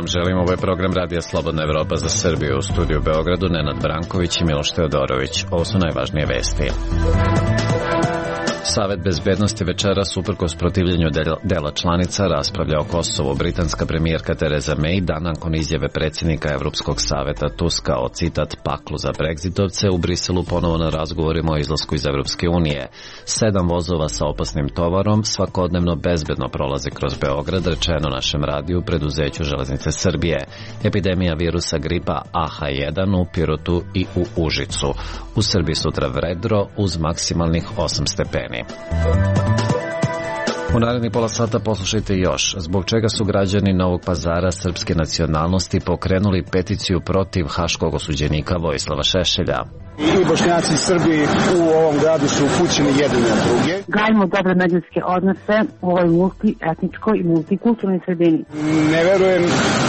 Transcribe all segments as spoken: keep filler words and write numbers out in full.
vam želim. Ovo je program Radija Slobodna Evropa za Srbiju. U studiju u Beogradu Nenad Branković i Miloš Teodorović. Ovo su najvažnije vesti. Savet bezbednosti večeras, uprkos protivljenju dela članica, raspravlja o Kosovu. Britanska premijerka Tereza May dan nakon izjave predsjednika Evropskog saveta Tuska o, citat, paklu za Brexitovce u Briselu ponovo na razgovorima o izlasku iz Evropske unije. Sedam vozova sa opasnim tovarom svakodnevno bezbedno prolaze kroz Beograd, rečeno našem radiju preduzeću Železnice Srbije. Epidemija virusa gripa A H jedan u Pirotu i u Užicu. U Srbiji sutra vedro uz maksimalnih osam stepeni. U narednih pola sata poslušajte još zbog čega su građani Novog Pazara srpske nacionalnosti pokrenuli peticiju protiv haškog osuđenika Vojislava Šešelja. I Bošnjaci i Srbi u ovom gradu su upućeni jedni na druge. Gajimo dobre međuljudske odnose u ovoj multietničkoj i multikulturnoj sredini. Ne verujem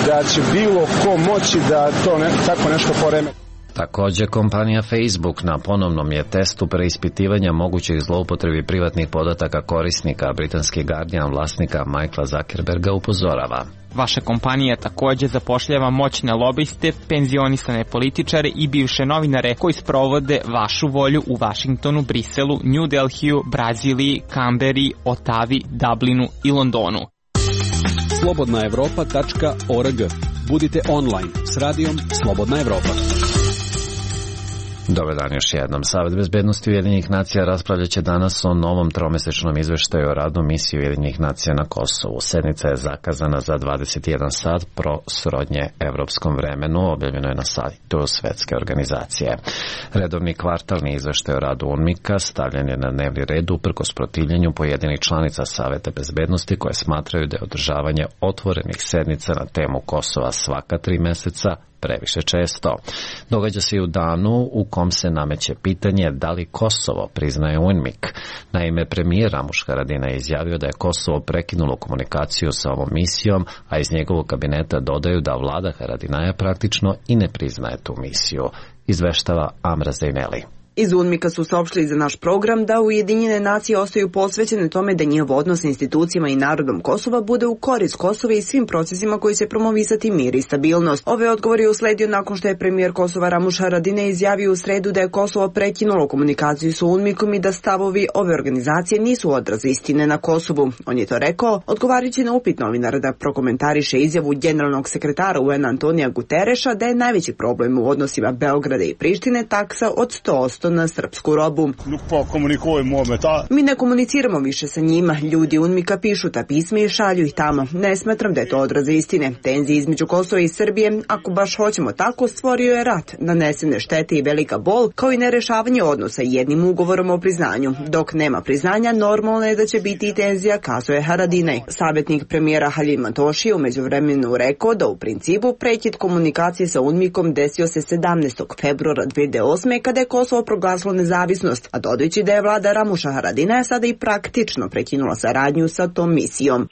da će bilo ko moći da to ne, tako nešto poreme. Također, kompanija Facebook na ponovnom je testu preispitivanja mogućih zloupotrebi privatnih podataka korisnika. Britanski Guardian vlasnika Michaela Zuckerberga upozorava. Vaša kompanija također zapošljava moćne lobiste, penzionisane političare i bivše novinare koji sprovode vašu volju u Vašingtonu, Briselu, New Delhiju, Braziliji, Kamberi, Otavi, Dublinu i Londonu. slobodna evropa tačka org. Budite online s radijom Slobodna Evropa. Dobar dan još jednom. Savet bezbednosti Ujedinjenih nacija raspravljat će danas o novom tromesečnom izveštaju o radu misije Ujedinjenih nacija na Kosovu. Sednica je zakazana za dvadeset jedan sat pro srodnje evropskom vremenu, objavljeno je na sajtu Svetske organizacije. Redovni kvartalni izveštaj o radu UNMIK-a stavljen je na dnevni red uprkos protivljenju pojedinih članica Saveta bezbednosti koje smatraju da je održavanje otvorenih sednica na temu Kosova svaka tri meseca previše često. Događa se i u danu u kom se nameće pitanje da li Kosovo priznaje UNMIK. Naime, premijer Ramuš Haradinaj je izjavio da je Kosovo prekinulo komunikaciju sa ovom misijom, a iz njegovog kabineta dodaju da vlada Haradinaja praktično i ne priznaje tu misiju. Izveštava Amra Zejneli. Iz UNMIK-a su saopštili za naš program da Ujedinjene nacije ostaju posvećene tome da njihov odnos sa institucijama i narodom Kosova bude u korist Kosova i svim procesima koji će promovisati mir i stabilnost. Ove odgovor je usledio nakon što je premijer Kosova Ramuš Haradinaj izjavio u sredu da je Kosovo prekinulo komunikaciju sa UNMIK-om i da stavovi ove organizacije nisu odraz istine na Kosovu. On je to rekao odgovarajući na upit novinara da prokomentariše izjavu generalnog sekretara U N Antonija Gutereša da je najveći problem u odnosima Beograda i Prištine taksa od sto posto na srpsku robu. Mi ne komuniciramo više sa njima. Ljudi UNMIK-a pišu ta pisma i šalju ih tamo. Ne smatram da je to odraz istine. Tenzije između Kosova i Srbije, ako baš hoćemo tako, stvorio je rat, nanesene štete i velika bol, kao i nerešavanje odnosa jednim ugovorom o priznanju. Dok nema priznanja, normalno je da će biti i tenzija, kazuje Haradinaj. Savjetnik premijera Halima Toši je u međuvremenu rekao da u principu prekid komunikacije sa UNMIK-om desio se sedamnaestog februara dve hiljade osme kada je Kosovo proglasilo nezavisnost, a dodajući da je vlada Ramuša Haradinaja sada i praktično prekinula saradnju sa tom misijom.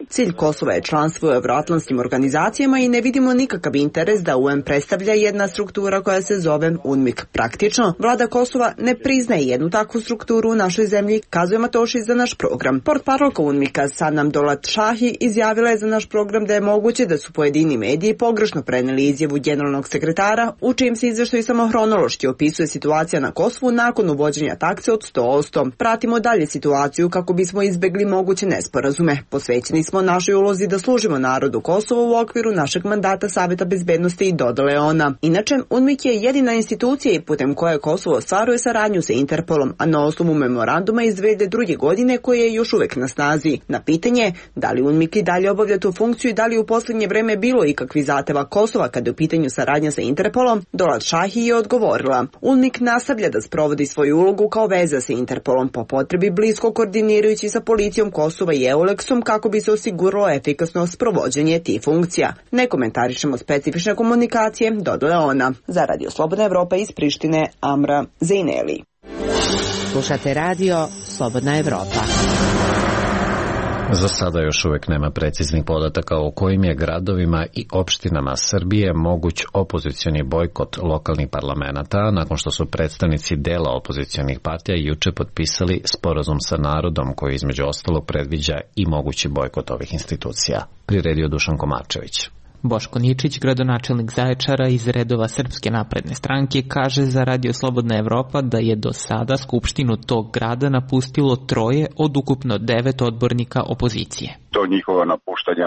Cilj Kosova je članstvo u evroatlantskim organizacijama i ne vidimo nikakav interes da U N predstavlja jedna struktura koja se zove UNMIK. Praktično, vlada Kosova ne priznaje jednu takvu strukturu u našoj zemlji, kazuje Matoši za naš program. Portparolka UNMIK-a Sanam Dolat-Shahi izjavila je za naš program da je moguće da su pojedini mediji pogrešno preneli izjavu generalnog sekretara, u čijem se izveštaju samo hronološki opisuje situacija na Kosovu nakon uvođenja takse od sto posto. Pratimo dalje situaciju kako bismo izbegli moguće nesporazume. Posvećeni smo našoj ulozi da služimo narodu Kosova u okviru našeg mandata Saveta bezbednosti i dodale ona. Inače, UNMIK je jedina institucija i putem koje Kosovo ostvaruje saradnju sa Interpolom, a na osnovu memoranduma iz dve hiljade druge. godine koje je još uvek na snazi. Na pitanje da li UNMIK i dalje obavlja tu funkciju i da li u posljednje vreme bilo ikakvi zahteva Kosova kada je u pitanju saradnja sa Interpolom, Dolat-Shahi je odgovorila. UNMIK nastavlja da sprovodi svoju ulogu kao veza sa Interpolom po potrebi blisko koordinirajući sa policijom Kosova i EULEX-om kako bi se osiguralo efikasno sprovođenje tih funkcija. Ne komentarišemo specifične komunikacije, dodala ona. Za Radio Slobodna Evropa iz Prištine, Amra Zejneli. Slušate radio Slobodna Evropa. Za sada još uvijek nema preciznih podataka o kojim je gradovima i opštinama Srbije moguć opozicioni bojkot lokalnih parlamenta, nakon što su predstavnici dela opozicionih partija juče potpisali sporazum sa narodom koji između ostalog predviđa i mogući bojkot ovih institucija. Priredio Dušan Komarčević. Boško Ničić, gradonačelnik Zaječara iz redova Srpske napredne stranke, kaže za Radio Slobodna Evropa da je do sada skupštinu tog grada napustilo troje od ukupno devet odbornika opozicije. To njihovo napuštanje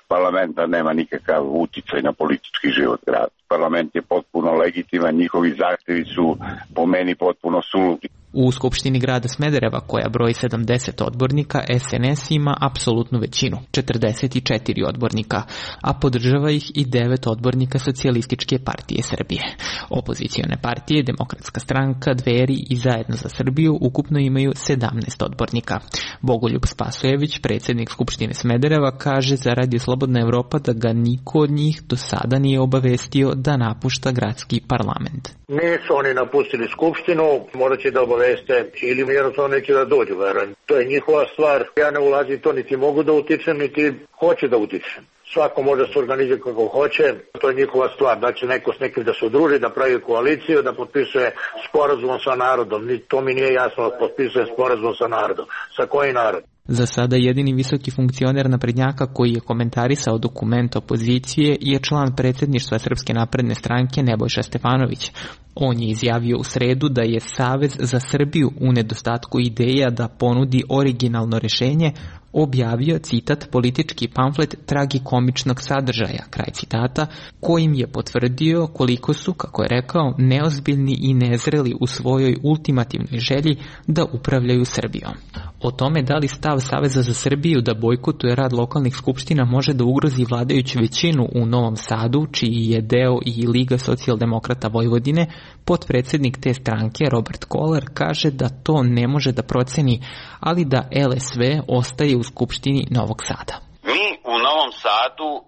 parlamenta nema nikakav uticaj na politički život grada. Parlament je potpuno legitiman, njihovi zahtevi su po meni potpuno suludi. U Skupštini grada Smedereva, koja broji sedamdeset odbornika, S N S ima apsolutnu većinu, četrdeset četiri odbornika, a podržava ih i devet odbornika Socijalističke partije Srbije. Opozicione partije, Demokratska stranka, Dveri i Zajedno za Srbiju ukupno imaju sedamnaest odbornika. Bogoljub Spasojević, predsjednik Skupštine Smedereva, kaže za Radio Slobodna Evropa da ga niko od njih do sada nije obavestio da napušta gradski parlament. Nisu oni napustili Skupštinu, morat će da obaveste ili jednostavno neće da dođu, verujem. To je njihova stvar, ja ne ulazim to, niti mogu da utičem, niti hoće da utičem. Svako može se organizati kako hoće, to je njihova stvar, da će neko s nekim da se udruži, da pravi koaliciju, da potpisuje sporazum sa narodom. To mi nije jasno, da potpisuje sporazum sa narodom. Sa koji narod? Za sada jedini visoki funkcioner naprednjaka koji je komentarisao dokument opozicije je član predsjedništva Srpske napredne stranke Nebojša Stefanović. On je izjavio u sredu da je Savez za Srbiju u nedostatku ideja da ponudi originalno rešenje objavio, citat, politički pamflet tragikomičnog sadržaja, kraj citata, kojim je potvrdio koliko su, kako je rekao, neozbiljni i nezreli u svojoj ultimativnoj želji da upravljaju Srbijom. O tome da li stav Saveza za Srbiju da bojkotuje rad lokalnih skupština može da ugrozi vladajuću većinu u Novom Sadu, čiji je deo i Liga socijaldemokrata Vojvodine, potpredsjednik te stranke Robert Kolar kaže da to ne može da proceni, ali da L S V ostaje u Skupštini Novog Sada. Mi u Novom Sadu uh,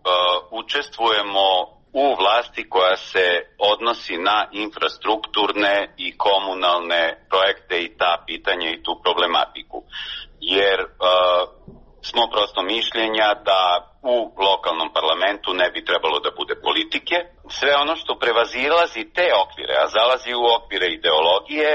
učestvujemo u vlasti koja se odnosi na infrastrukturne i komunalne projekte i ta pitanja i tu problematiku. Jer uh, smo prosto mišljenja da u lokalnom parlamentu ne bi trebalo da bude politike. Sve ono što prevazilazi te okvire, a zalazi u okvire ideologije,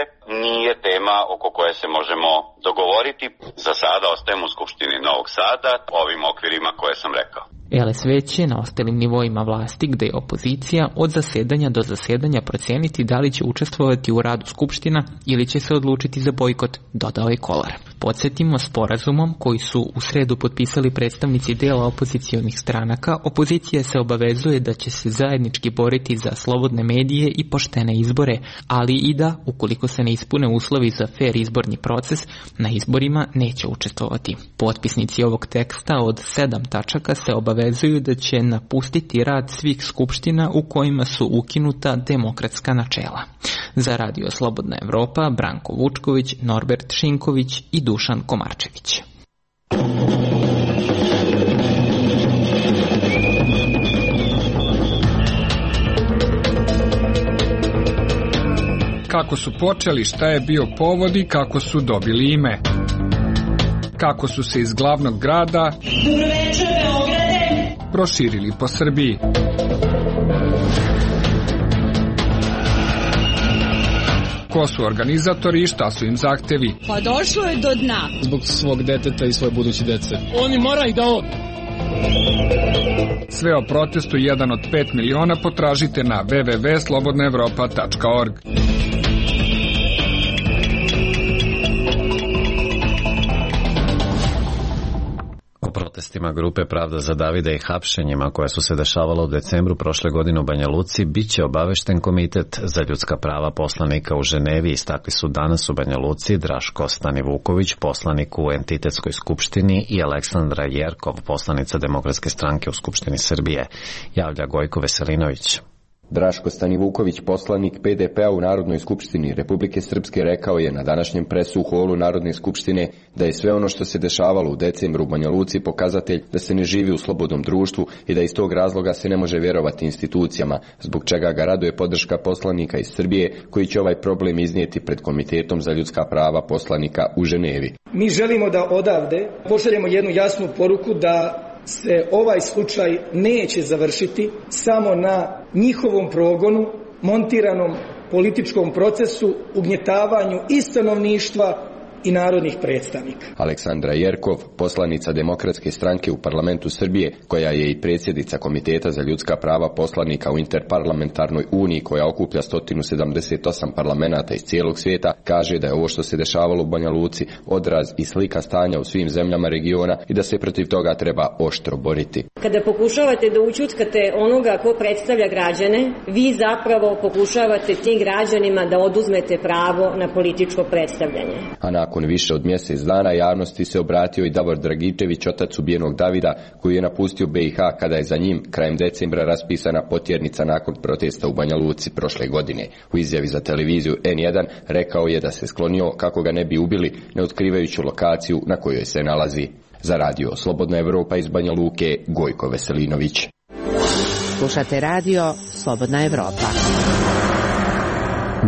nije tema oko koje se možemo dogovoriti. Za sada ostajemo u Skupštini Novog Sada, ovim okvirima koje sam rekao. L S V će na ostalim nivoima vlasti, gde je opozicija, od zasedanja do zasedanja procijeniti da li će učestvovati u radu Skupština ili će se odlučiti za bojkot, dodao je Kolar. Podsjetimo, sporazumom koji su u sredu potpisali predstavnici dela opozicionih stranaka, opozicija se obavezuje da će se zajednički boriti za slobodne medije i poštene izbore, ali i da, ukoliko se ne ispune uslovi za fer izborni proces, na izborima neće učestvovati. Potpisnici ovog teksta od sedam tačaka se obavezuju da će napustiti rad svih skupština u kojima su ukinuta demokratska načela. Za Radio Slobodna Evropa, Branko Vučković, Norbert Šinković i Dušan Komarčević. Kako su počeli, šta je bio povod i kako su dobili ime. Kako su se iz glavnog grada proširili po Srbiji. Ko su organizatori i šta su im zahtevi? Pa došlo je do dna. Zbog svog deteta i svoje buduće dece. Oni moraju da od... Sve o protestu jedan od pet miliona potražite na w w w tačka slobodna evropa tačka org. O protestima grupe Pravda za Davida i hapšenjima koje su se dešavala u decembru prošle godine u Banja Luci biće obavešten Komitet za ljudska prava poslanika u Ženevi, istakli su danas u Banja Luci Draško Stanivuković, poslanik u Entitetskoj skupštini, i Aleksandra Jerkov, poslanica Demokratske stranke u Skupštini Srbije, javlja Gojko Veselinović. Draško Stanivuković, poslanik P D P-a u Narodnoj skupštini Republike Srpske, rekao je na današnjem presu u holu Narodne skupštine da je sve ono što se dešavalo u decembru u Banja Luci pokazatelj da se ne živi u slobodnom društvu i da iz tog razloga se ne može vjerovati institucijama, zbog čega ga raduje podrška poslanika iz Srbije koji će ovaj problem iznijeti pred Komitetom za ljudska prava poslanika u Ženevi. Mi želimo da odavde pošaljemo jednu jasnu poruku da se ovaj slučaj neće završiti samo na njihovom progonu, montiranom političkom procesu, ugnjetavanju i stanovništva i narodnih predstavnika. Aleksandra Jerkov, poslanica Demokratske stranke u parlamentu Srbije, koja je i predsjednica Komiteta za ljudska prava poslanika u Interparlamentarnoj uniji koja okuplja sto sedamdeset osam parlamenata iz cijelog svijeta, kaže da je ovo što se dešavalo u Banja Luci odraz i slika stanja u svim zemljama regiona i da se protiv toga treba oštro boriti. Kada pokušavate da ućutkate onoga ko predstavlja građane, vi zapravo pokušavate tim građanima da oduzmete pravo na političko predstavljanje. A nakon više od mjesec dana javnosti se obratio i Davor Dragičević, otac ubijenog Davida, koji je napustio B i H kada je za njim krajem decembra raspisana potjernica nakon protesta u Banja Luci prošle godine. U izjavi za televiziju N jedan rekao je da se sklonio kako ga ne bi ubili, ne otkrivajući lokaciju na kojoj se nalazi. Za radio Slobodna Evropa iz Banja Luke, Gojko Veselinović. Slušate radio Slobodna Evropa.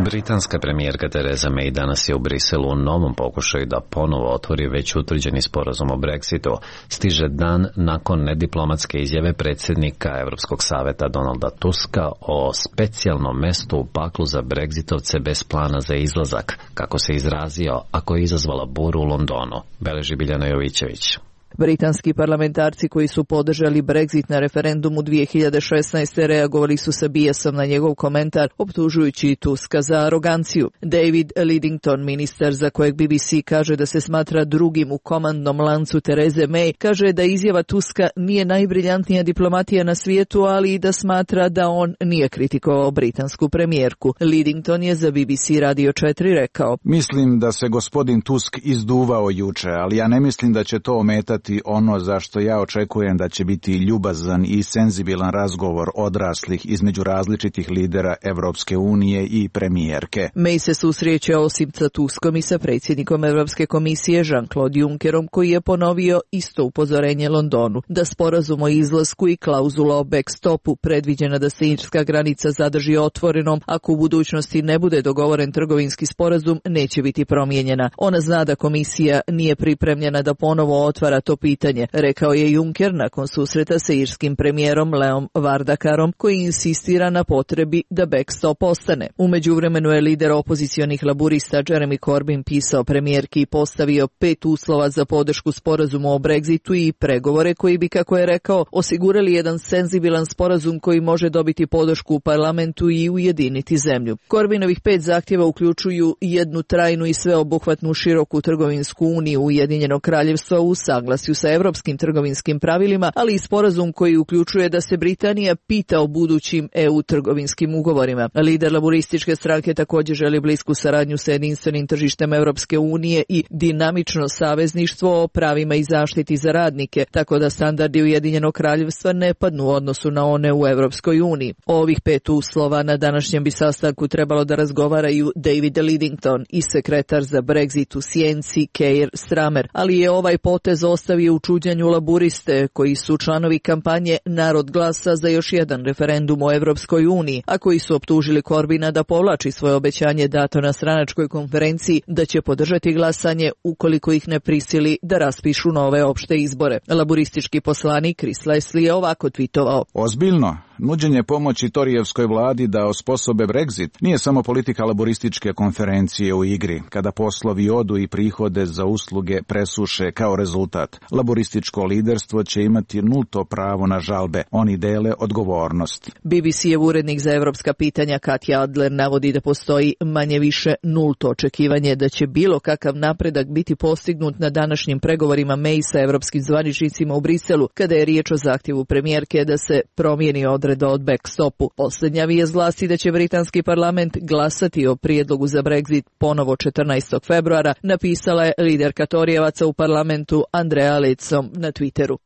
Britanska premijerka Theresa May danas je u Briselu u novom pokušaju da ponovo otvori već utvrđeni sporazum o Brexitu. Stiže dan nakon nediplomatske izjave predsjednika Europskog saveta Donalda Tuska o specijalnom mestu u paklu za Brexitovce bez plana za izlazak, kako se izrazio, ako je izazvala buru u Londonu. Beleži Biljana Jovićević. Britanski parlamentarci koji su podržali Brexit na referendumu dvije hiljade šesnaeste. reagovali su sa bijesom na njegov komentar, optužujući Tuska za aroganciju. David Lidington, ministar za kojeg B B C kaže da se smatra drugim u komandnom lancu Therese May, kaže da izjava Tuska nije najbriljantnija diplomatija na svijetu, ali i da smatra da on nije kritikovao britansku premijerku. Lidington je za B B C Radio četiri rekao: Mislim da se gospodin Tusk izduvao juče, ali ja ne mislim da će to ometati ono za što ja očekujem da će biti ljubazan i senzibilan razgovor odraslih između različitih lidera Evropske unije i premijerke. May se susreće osim sa Tuskom i sa predsjednikom Evropske komisije Jean-Claude Junckerom, koji je ponovio isto upozorenje Londonu, da sporazum o izlasku i klauzula o backstopu predviđena da se irska granica zadrži otvorenom ako u budućnosti ne bude dogovoren trgovinski sporazum neće biti promijenjena. Ona zna da komisija nije pripremljena da ponovo otvara to pitanje, rekao je Juncker nakon susreta sa irskim premijerom Leom Vardakarom, koji insistira na potrebi da backstop ostane. U međuvremenu je lider opozicionih laburista Jeremy Corbyn pisao premijerki i postavio pet uslova za podršku sporazumu o Brexitu i pregovore koji bi, kako je rekao, osigurali jedan senzibilan sporazum koji može dobiti podršku u parlamentu i ujediniti zemlju. Corbynovih pet zahtjeva uključuju jednu trajnu i sveobuhvatnu široku trgovinsku uniju Ujedinjenog kraljevstva u saglasju sa evropskim trgovinskim pravilima, ali i sporazum koji uključuje da se Britanija pita o budućim E U trgovinskim ugovorima. Lider laburističke stranke također želi blisku saradnju sa jedinstvenim tržištem Evropske unije i dinamično savezništvo o pravima i zaštiti za radnike, tako da standardi Ujedinjenog kraljevstva ne padnu u odnosu na one u Evropskoj uniji. O ovih pet uslova na današnjem bi sastanku trebalo da razgovaraju David Lidington i sekretar za Brexit u Sjenci Keir Starmer, ali je ovaj potez ostavio u čuđenju laburiste koji su članovi kampanje Narod glasa za još jedan referendum o Evropskoj uniji, a koji su optužili Corbina da povlači svoje obećanje dato na stranačkoj konferenciji da će podržati glasanje ukoliko ih ne prisili da raspišu nove opšte izbore. Laburistički poslanik Chris Leslie je ovako tvitovao: Ozbiljno, nuđenje pomoći Torijevskoj vladi da osposobe Brexit nije samo politika laborističke konferencije u igri, kada poslovi odu i prihode za usluge presuše kao rezultat. Laborističko liderstvo će imati nulto pravo na žalbe. Oni dele odgovornost. B B C-ev urednik za evropska pitanja Katja Adler navodi da postoji manje više nulto očekivanje da će bilo kakav napredak biti postignut na današnjim pregovorima May sa evropskim zvaničnicima u Briselu, kada je riječ o zahtjevu premijerke da se promijeni odredba od backstopu. Posljednja vijest glasi da će britanski parlament glasati o prijedlogu za Brexit ponovo četrnaestog februara, napisala je liderka Torijevaca u parlamentu Andrea Leadsom na Twitteru.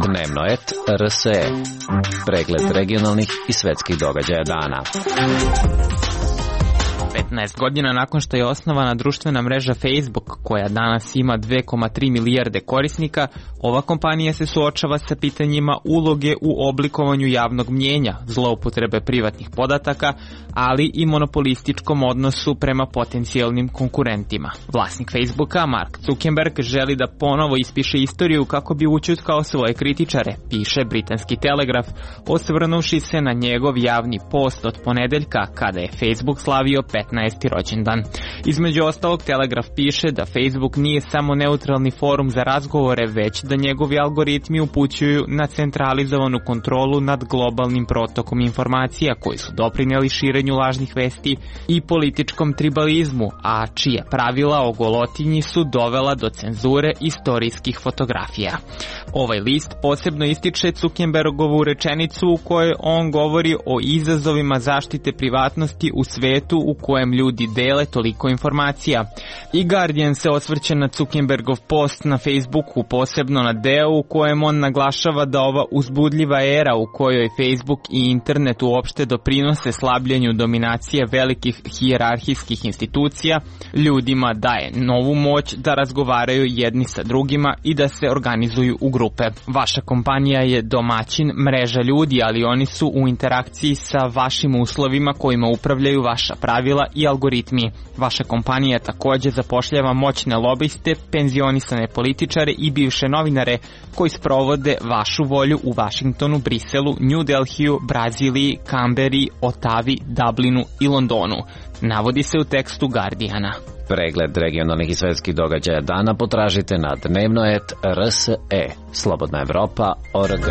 Dnevnoet R S E. Pregled regionalnih i svetskih događaja dana. petnaest godina nakon što je osnovana društvena mreža Facebook, koja danas ima dve zarez tri milijarde korisnika, ova kompanija se suočava sa pitanjima uloge u oblikovanju javnog mnjenja, zloupotrebe privatnih podataka, ali i monopolističkom odnosu prema potencijalnim konkurentima. Vlasnik Facebooka, Mark Zuckerberg, želi da ponovo ispiše istoriju kako bi ućutkao svoje kritičare, piše britanski Telegraf, osvrnuvši se na njegov javni post od ponedeljka, kada je Facebook slavio petnaesti rođendan. Između ostalog, Telegraf piše da Facebook nije samo neutralni forum za razgovore, već da njegovi algoritmi upućuju na centralizovanu kontrolu nad globalnim protokom informacija koji su doprineli širenju lažnih vesti i političkom tribalizmu, a čije pravila o golotinji su dovela do cenzure istorijskih fotografija. Ovaj list posebno ističe Zuckerbergovu rečenicu u kojoj on govori o izazovima zaštite privatnosti u svetu u kojem ljudi dele toliko informacija. I Guardian se osvrće na Zuckerbergov post na Facebooku, posebno na deo u kojem on naglašava da ova uzbudljiva era u kojoj Facebook i internet uopšte doprinose slabljenju dominacije velikih hijerarhijskih institucija ljudima daje novu moć da razgovaraju jedni sa drugima i da se organizuju u grupe. Vaša kompanija je domaćin mreža ljudi, ali oni su u interakciji sa vašim uslovima kojima upravljaju vaša pravila i algoritmi. Vaša kompanija takođe zapošljava moćne lobiste, penzionisane političare i bivše novinare koji sprovode vašu volju u Vašingtonu, Briselu, New Delhiju, Braziliji, Kamberi, Otavi, Dublinu i Londonu. Navodi se u tekstu Guardiana. Pregled regionalnih i svetskih događaja dana potražite na Dnevnoet R S E. Slobodna Evropa O R G.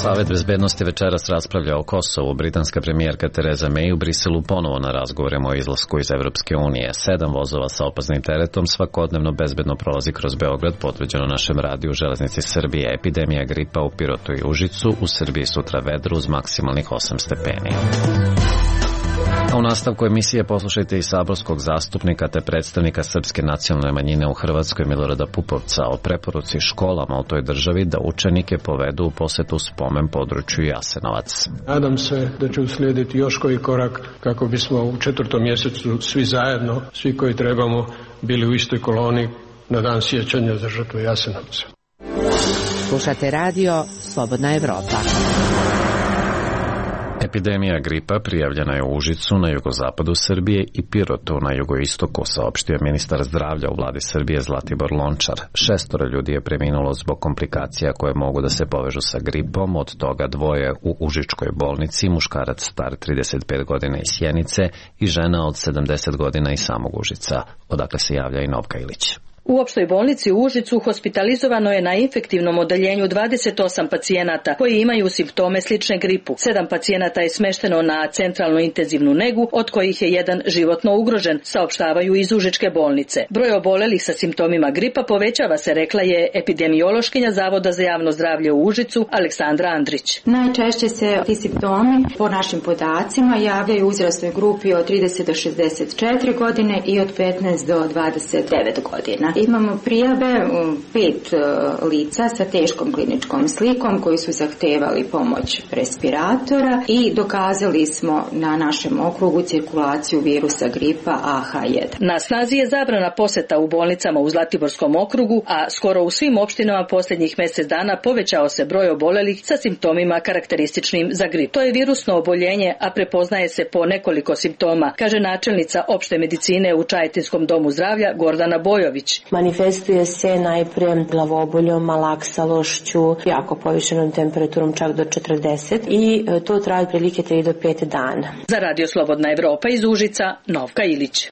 Savet bezbednosti večeras raspravlja o Kosovu. Britanska premijerka Tereza May u Briselu ponovo na razgovorima o izlasku iz Evropske unije. Sedam vozova sa opasnim teretom svakodnevno bezbedno prolazi kroz Beograd, potvrđeno našem radiju Železnici Srbije. Epidemija gripa u Pirotu i Užicu, u Srbiji sutra vedro uz maksimalnih osam stepeni. A u nastavku emisije poslušajte i saborskog zastupnika te predstavnika srpske nacionalne manjine u Hrvatskoj Milorada Pupovca o preporuci školama u toj državi da učenike povedu u posetu spomen području Jasenovac. Nadam se da će uslijediti još koji korak kako bismo u četvrtom mjesecu svi zajedno, svi koji trebamo, bili u istoj koloni na dan sjećanja za žrtvu Jasenovca. Slušate radio Slobodna Evropa. Epidemija gripa prijavljena je u Užicu na jugozapadu Srbije i Pirotu na jugoistoku, saopštio ministar zdravlja u vladi Srbije Zlatibor Lončar. Šestoro ljudi je preminulo zbog komplikacija koje mogu da se povežu sa gripom, od toga dvoje u Užičkoj bolnici, muškarac star trideset pet godina iz Sjenice i žena od sedamdeset godina iz samog Užica. Odakle se javlja i Novka Ilić. U opštoj bolnici u Užicu hospitalizovano je na infektivnom odeljenju dvadeset osam pacijenata koji imaju simptome slične gripu. Sedam pacijenata je smešteno na centralnu intenzivnu negu, od kojih je jedan životno ugrožen, saopštavaju iz Užičke bolnice. Broj obolelih sa simptomima gripa povećava se, rekla je epidemiološkinja Zavoda za javno zdravlje u Užicu Aleksandra Andrić. Najčešće se ti simptomi po našim podacima javljaju u uzrastnoj grupi od trideset do šezdeset četiri godine i od petnaest do dvadeset devet godina. Imamo prijave pet lica sa teškom kliničkom slikom koji su zahtevali pomoć respiratora i dokazali smo na našem okrugu cirkulaciju virusa gripa A H jedan. Na snazi je zabrana poseta u bolnicama u Zlatiborskom okrugu, a skoro u svim opštinama posljednjih mjesec dana povećao se broj obolelih sa simptomima karakterističnim za grip. To je virusno oboljenje, a prepoznaje se po nekoliko simptoma, kaže načelnica opšte medicine u Čajetinskom domu zdravlja Gordana Bojović. Manifestuje se najprije glavoboljom, malaksalošću, jako povišenom temperaturom čak do četrdeset i to traje otprilike tri do pet dana. Za Radio Slobodna Evropa iz Užica, Novka Ilić.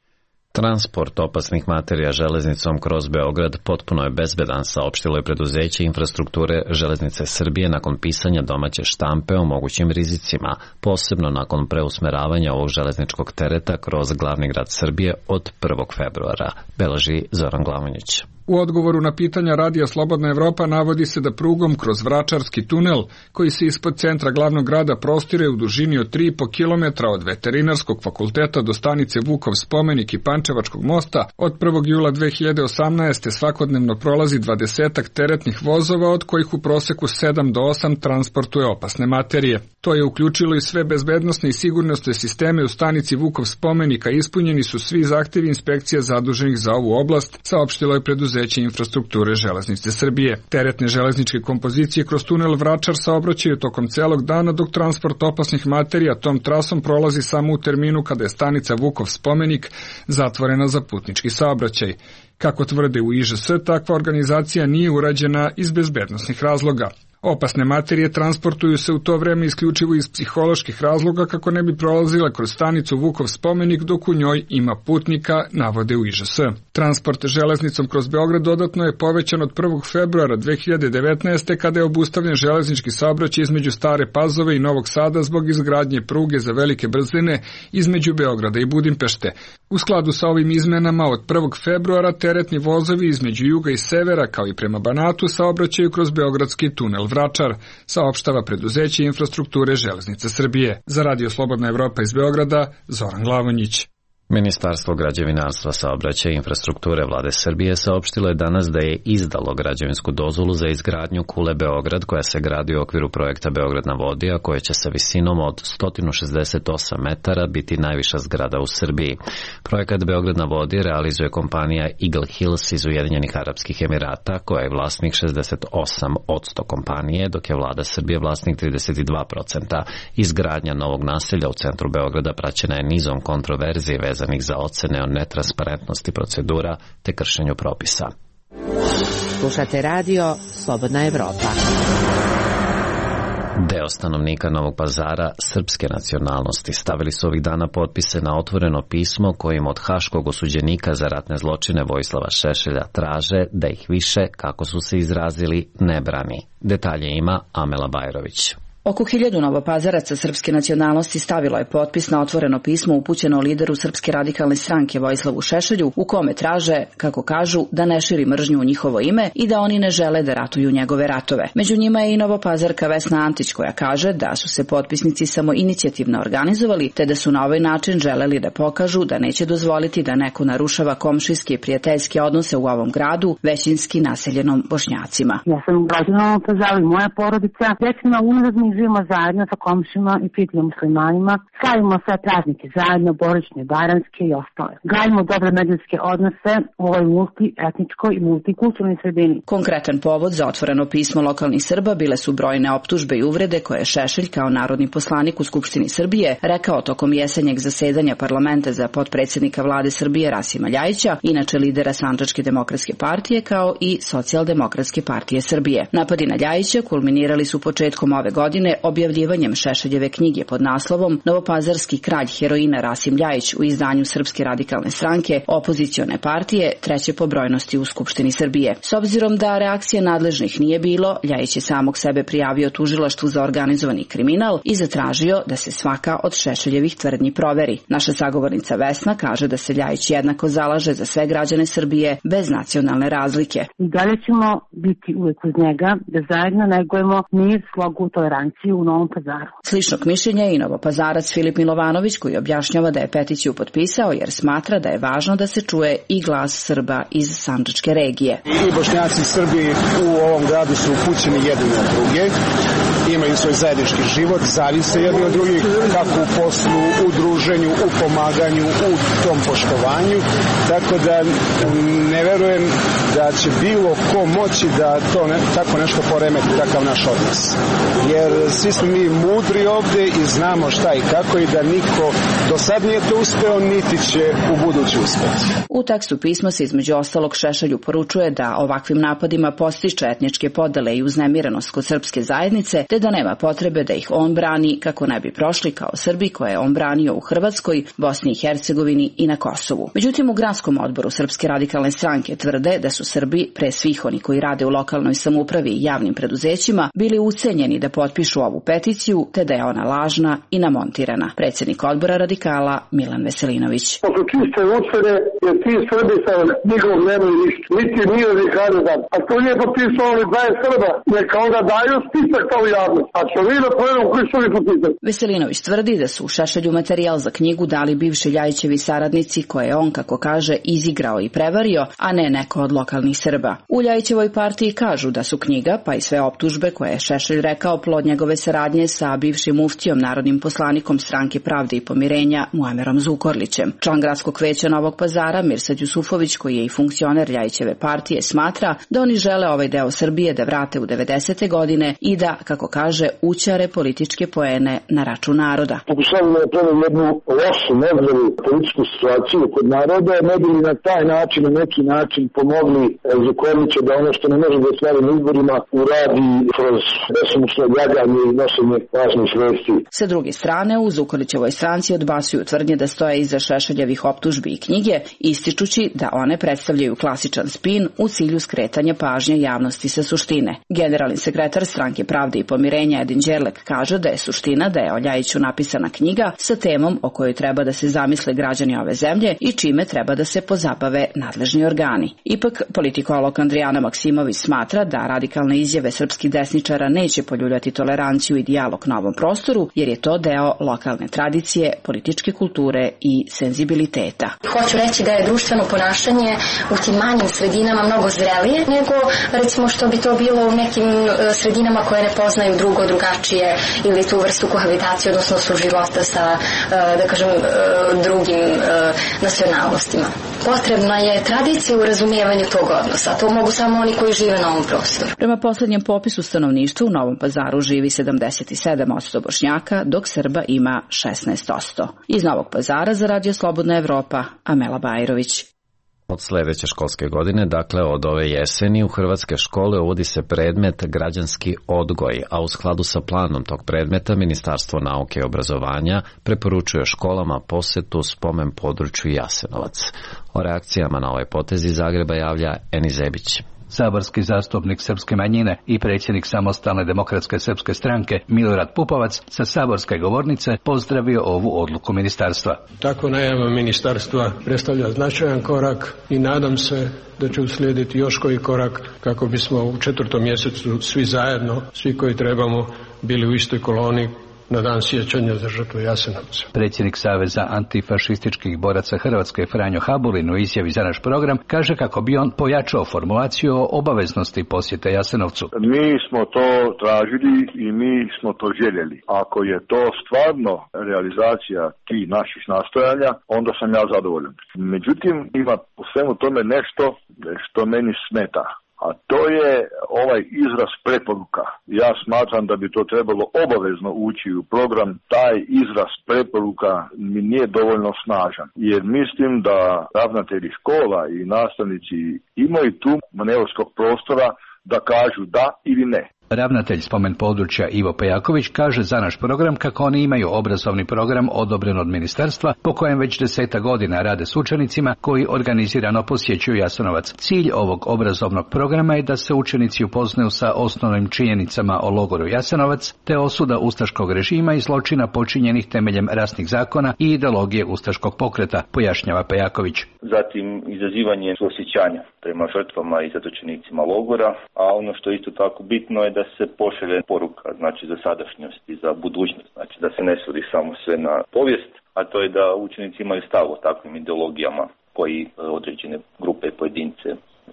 Transport opasnih materija železnicom kroz Beograd potpuno je bezbedan, saopštilo je preduzeće infrastrukture Železnice Srbije nakon pisanja domaće štampe o mogućim rizicima, posebno nakon preusmeravanja ovog železničkog tereta kroz glavni grad Srbije od prvog februara, beleži Zoran Glavonjić. U odgovoru na pitanja Radija Slobodna Evropa navodi se da prugom kroz Vračarski tunel, koji se ispod centra glavnog grada prostire u dužini od tri i po kilometra od Veterinarskog fakulteta do stanice Vukov spomenik i Pančevačkog mosta, od prvog jula dve hiljade osamnaeste. svakodnevno prolazi dvadesetak teretnih vozova, od kojih u proseku sedam do osam transportuje opasne materije. To je uključilo i sve bezbednosne i sigurnosne sisteme u stanici Vukov spomenika, ispunjeni su svi zahtevi inspekcija zaduženih za ovu oblast, saopštilo je preduzeće infrastrukture Železnice Srbije. Teretne železničke kompozicije kroz tunel Vračar saobraćaju tokom celog dana, dok transport opasnih materija tom trasom prolazi samo u terminu kada je stanica Vukov spomenik zatvorena za putnički saobraćaj. Kako tvrde u I Ž S, takva organizacija nije urađena iz bezbednosnih razloga. Opasne materije transportuju se u to vreme isključivo iz psiholoških razloga kako ne bi prolazile kroz stanicu Vukov spomenik dok u njoj ima putnika, navode u I Ž S. Transport železnicom kroz Beograd dodatno je povećan od prvog februara dve hiljade devetnaeste. kada je obustavljen železnički saobraćaj između Stare Pazove i Novog Sada zbog izgradnje pruge za velike brzine između Beograda i Budimpešte. U skladu sa ovim izmenama od prvog februara teretni vozovi između juga i severa kao i prema Banatu saobraćaju kroz Beogradski tunel Vračar, saopštava preduzeće infrastrukture Železnice Srbije. Za Radio Slobodna Evropa iz Beograda, Zoran Glavonjić. Ministarstvo građevinarstva, saobraćaja i infrastrukture Vlade Srbije saopštilo je danas da je izdalo građevinsku dozvolu za izgradnju kule Beograd, koja se gradi u okviru projekta Beograd na vodi, a koja će sa visinom od sto šezdeset osam metara biti najviša zgrada u Srbiji. Projekat Beograd na vodi realizuje kompanija Eagle Hills iz Ujedinjenih Arapskih Emirata, koja je vlasnik šezdeset osam posto kompanije, dok je Vlada Srbije vlasnik trideset dva posto. Izgradnja novog naselja u centru Beograda praćena je nizom kontroverzije vezanih za ocene o netransparentnosti procedura te kršenju propisa. Slušate radio Slobodna Evropa. Deo stanovnika Novog Pazara srpske nacionalnosti stavili su ovih dana potpise na otvoreno pismo kojim od haškog osuđenika za ratne zločine Vojislava Šešelja traže da ih više, kako su se izrazili, ne brani. Detalje ima Amela Bajrović. Oko hiljadu novopazaraca srpske nacionalnosti stavilo je potpis na otvoreno pismo upućeno lideru Srpske radikalne stranke Vojislavu Šešelju, u kome traže, kako kažu, da ne širi mržnju u njihovo ime i da oni ne žele da ratuju njegove ratove. Među njima je i novopazarka Vesna Antić, koja kaže da su se potpisnici samo inicijativno organizovali, te da su na ovaj način želeli da pokažu da neće dozvoliti da neko narušava komšijske i prijateljske odnose u ovom gradu, većinski naseljenom Bošnjacima. Ja sam građana Novog Pazara i moja porodica, decenima unazad živimo zajedno sa komšima i prijateljima muslimanima, slavimo sve praznike zajedno, božićne, bajramske i ostale. Gradimo dobre međuljudske odnose u ovoj multietničkoj i multikulturnoj sredini. Konkretan povod za otvoreno pismo lokalnih Srba bile su brojne optužbe i uvrede koje je Šešelj kao narodni poslanik u Skupštini Srbije rekao tokom jesenjeg zasedanja parlamenta za potpredsjednika Vlade Srbije Rasima Ljajića, inače lidera Sandžačke demokratske partije, kao i Socijaldemokratske partije Srbije. Napadi na Ljajića kulminirali su početkom ove godine objavljivanjem Šešeljeve knjige pod naslovom Novopazarski kralj heroina Rasim Ljajić u izdanju Srpske radikalne stranke, opozicione partije, treće po brojnosti u Skupštini Srbije. S obzirom da reakcije nadležnih nije bilo, Ljajić je samog sebe prijavio tužilaštvu za organizovani kriminal i zatražio da se svaka od Šešeljevih tvrdnji proveri. Naša sagovornica Vesna kaže da se Ljajić jednako zalaže za sve građane Srbije bez nacionalne razlike. I dalje ćemo biti uvek uz njega da zajedno negujemo mir, slogu, toleranciju u Novom Pazaru. Sličnog mišljenja je i novopazarac Filip Milovanović, koji objašnjava da je peticiju potpisao jer smatra da je važno da se čuje i glas Srba iz Sandžačke regije. I Bošnjaci i Srbi u ovom gradu su upućeni jedni od druge, imaju svoj zajednički život, zavise jedni od drugih, kako u poslu, u druženju, u pomaganju, u tom poštovanju, tako da ne verujem da će bilo ko moći da to ne, tako nešto poremeti, takav naš odnos. Jer svi smo mi mudri ovde i znamo šta i kako i da niko do sad nije to uspeo, niti će u budući uspeti. U tekstu pisma se između ostalog Šešelju poručuje da ovakvim napadima postiče etničke podele i uznemirenost kod srpske zajednice, te da nema potrebe da ih on brani kako ne bi prošli kao Srbi koje je on branio u Hrvatskoj, Bosni i Hercegovini i na Kosovu. Međutim, u gradskom odboru Srpske radikalne stranke tvrde da su Srbi, pre svih oni koji rade u lokalnoj samoupravi i javnim preduzećima, bili ucenjeni da potpišu ovu peticiju, te da je ona lažna i namontirana. Predsjednik odbora radikala Milan Veselinović. To su čiste ucene, jer ti Srbi sa njegov nemaju ništa. Niti nije nikada dan. A to nije potpisao oni dvadeset Srba, neka onda daju spisak kao javnost. A što vi da povedemo koji su oni potpisali? Veselinović tvrdi da su u Šešelju materijal za knjigu dali bivši Ljajićevi saradnici koje je on, kako kaže, izigrao i prevario, a ne neko od lokalnih Srba. U Ljajićevoj partiji kažu da su knjiga, pa i sve optužbe koje je Šešelj rekao plod njegove saradnje sa bivšim muftijom, narodnim poslanikom Stranke pravde i pomirenja Muamerom Zukorlićem. Član gradskog veća Novog Pazara Mirsad Jusufović, koji je i funkcioner Ljajićeve partije, smatra da oni žele ovaj deo Srbije da vrate u devedesete godine i da, kako kaže, ućare političke poene na račun naroda. Pokušavamo da napravimo jednu lošu, nezdravu političku situaciju kod naroda, ne bi li na taj način, na neki način pomogli Zukorlića da ono što ne može da ostvari na izborima uradi kroz besomučno ljaganje i nošenje važnih vesti. Sa druge strane, u Zukorlićevoj stranci odbacuju tvrdnje da stoje iza Šešeljevih optužbi i knjige, ističući da one predstavljaju klasičan spin u cilju skretanja pažnje javnosti sa suštine. Generalni sekretar Stranke pravde i pomirenja Edin Đerlek kaže da je suština da je o Ljajiću napisana knjiga sa temom o kojoj treba da se zamisle građani ove zemlje i čime treba da se pozabave nadležni organi. Ipak, politikolog Andrijana Maksimović smatra da radikalne izjave srpskih desničara neće poljuljati toleranciju i dijalog na ovom prostoru, jer je to deo lokalne tradicije, političke kulture i senzibiliteta. Hoću reći da je društveno ponašanje u tim manjim sredinama mnogo zrelije nego recimo što bi to bilo u nekim sredinama koje ne poznaju drugo, drugačije ili tu vrstu kohabitacije, odnosno suživota sa, da kažem, drugim nacionalnostima. Potrebna je tradicija u razumijevanju tog odnosa. To mogu samo oni koji žive na ovom prostoru. Prema poslednjem popisu stanovništva u Novom Pazaru živi sedamdeset sedam posto Bošnjaka, dok Srba ima šesnaest posto. Iz Novog Pazara za Radio Slobodna Evropa, Amela Bajrović. Od sledeće školske godine, dakle od ove jeseni, u hrvatske škole uvodi se predmet građanski odgoj, a u skladu sa planom tog predmeta Ministarstvo nauke i obrazovanja preporučuje školama posetu spomen području Jasenovac. O reakcijama na ovaj potez iz Zagreba javlja Eni Zebić. Saborski zastupnik srpske manjine i predsjednik Samostalne demokratske srpske stranke Milorad Pupovac sa saborske govornice pozdravio ovu odluku ministarstva. Tako najava ministarstva predstavlja značajan korak i nadam se da će uslijediti još koji korak kako bismo u četvrtom mjesecu svi zajedno, svi koji trebamo, bili u istoj koloni na dan sjećanja za žrtvu Jasenovca. Predsjednik Saveza antifašističkih boraca Hrvatske Franjo Habulin u izjavi za naš program kaže kako bi on pojačao formulaciju o obaveznosti posjete Jasenovcu. Mi smo to tražili i mi smo to željeli. Ako je to stvarno realizacija tih naših nastojanja, onda sam ja zadovoljan. Međutim, ima u svemu tome nešto što meni smeta. A to je ovaj izraz preporuka. Ja smatram da bi to trebalo obavezno ući u program. Taj izraz preporuka mi nije dovoljno snažan. Jer mislim da ravnatelji škola i nastavnici imaju tu manevarskog prostora da kažu da ili ne. Ravnatelj spomen područja Ivo Pejaković kaže za naš program kako oni imaju obrazovni program odobren od ministarstva po kojem već deseta godina rade s učenicima koji organizirano posjećuju Jasenovac. Cilj ovog obrazovnog programa je da se učenici upoznaju sa osnovnim činjenicama o logoru Jasenovac te osuda ustaškog režima i zločina počinjenih temeljem rasnih zakona i ideologije ustaškog pokreta, pojašnjava Pejaković. Zatim izazivanje suosjećanja prema žrtvama i zatočenicima logora, a ono što je isto tako bitno je da se pošalje poruka, znači za sadašnjost i za budućnost, znači da se ne svodi samo sve na povijest, a to je da učenici imaju stav o takvim ideologijama koji određene grupe i pojedince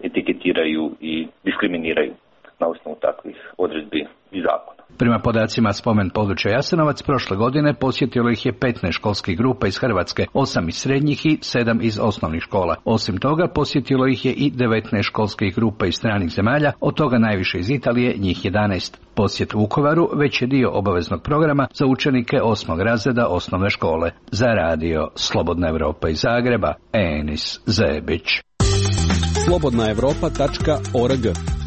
etiketiraju i diskriminiraju na osnovu takvih odredbi i zakona. Prema podacima spomen područja Jasenovac, prošle godine posjetilo ih je petnaest školskih grupa iz Hrvatske, osam iz srednjih i sedam iz osnovnih škola. Osim toga, posjetilo ih je i devetnaest školskih grupa iz stranih zemalja, od toga najviše iz Italije, njih jedanaest. Posjet Vukovaru već je dio obaveznog programa za učenike osmog razreda osnovne škole. Za radio Slobodna Evropa iz Zagreba, Enis Zebić. slobodna evropa tačka org.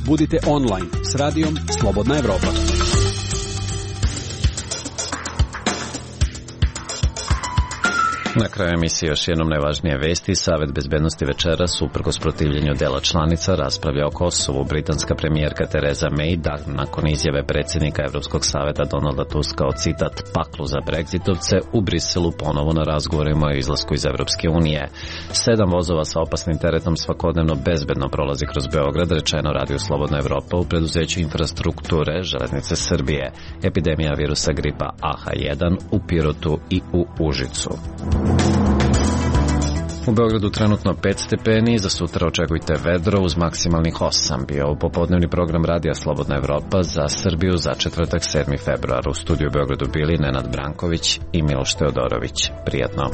Budite online s radijom Slobodna Evropa. Na kraju emisije još jednom najvažnije vesti. Savet bezbednosti večeras, uprkos protivljenju dela članica, raspravlja o Kosovu. Britanska premijerka Tereza May dan nakon izjave predsjednika Evropskog saveta Donalda Tuska o citat paklu za Brexitovce u Briselu ponovo na razgovorima o izlasku iz Evropske unije. Sedam vozova sa opasnim teretom svakodnevno bezbedno prolazi kroz Beograd, rečeno Radio Slobodna Evropa u preduzeću infrastrukture Železnice Srbije. Epidemija virusa gripa A H jedan u Pirotu i u Užicu. U Beogradu trenutno pet stepeni, za sutra očekujte vedro uz maksimalnih osam. Bio u popodnevni program Radija Slobodna Evropa za Srbiju za četvrtak sedmi februar. U studiju u Beogradu bili Nenad Branković i Miloš Teodorović. Prijatno.